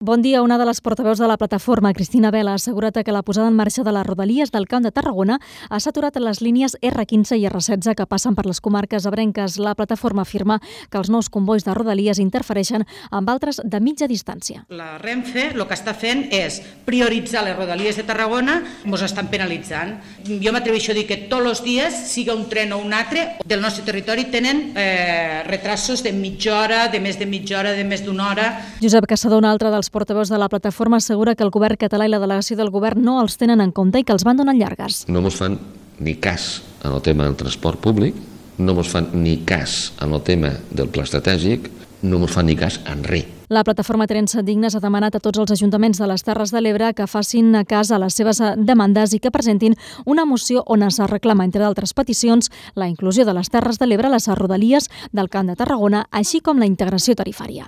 Bon dia. Una de les portaveus de la plataforma, Cristina Vela, ha assegurat que la posada en marxa de les rodalies del Camp de Tarragona ha saturat les línies R15 i R16 que passen per les comarques ebrenques. La plataforma afirma que els nous convois de rodalies interfereixen amb altres de mitja distància. La Renfe el que està fent és prioritzar les rodalies de Tarragona, ens estan penalitzant. Jo m'atreveixo a dir que tots els dies, siga un tren o un altre, del nostre territori tenen retrasos de mitja hora, de més de mitja hora, de més d'una hora. Josep Caçador, un altre dels portaveus de la plataforma, assegura que el govern català i la delegació del govern no els tenen en compte i que els van donant llargues. No ens fan ni cas en el tema del transport públic, no ens fan ni cas en el tema del pla estratègic, no ens fan ni cas en res. La plataforma Terence Dignes ha demanat a tots els ajuntaments de les Terres de l'Ebre que facin cas a les seves demandes i que presentin una moció on es reclama, entre d'altres peticions, la inclusió de les Terres de l'Ebre a les rodalies del Camp de Tarragona, així com la integració tarifària.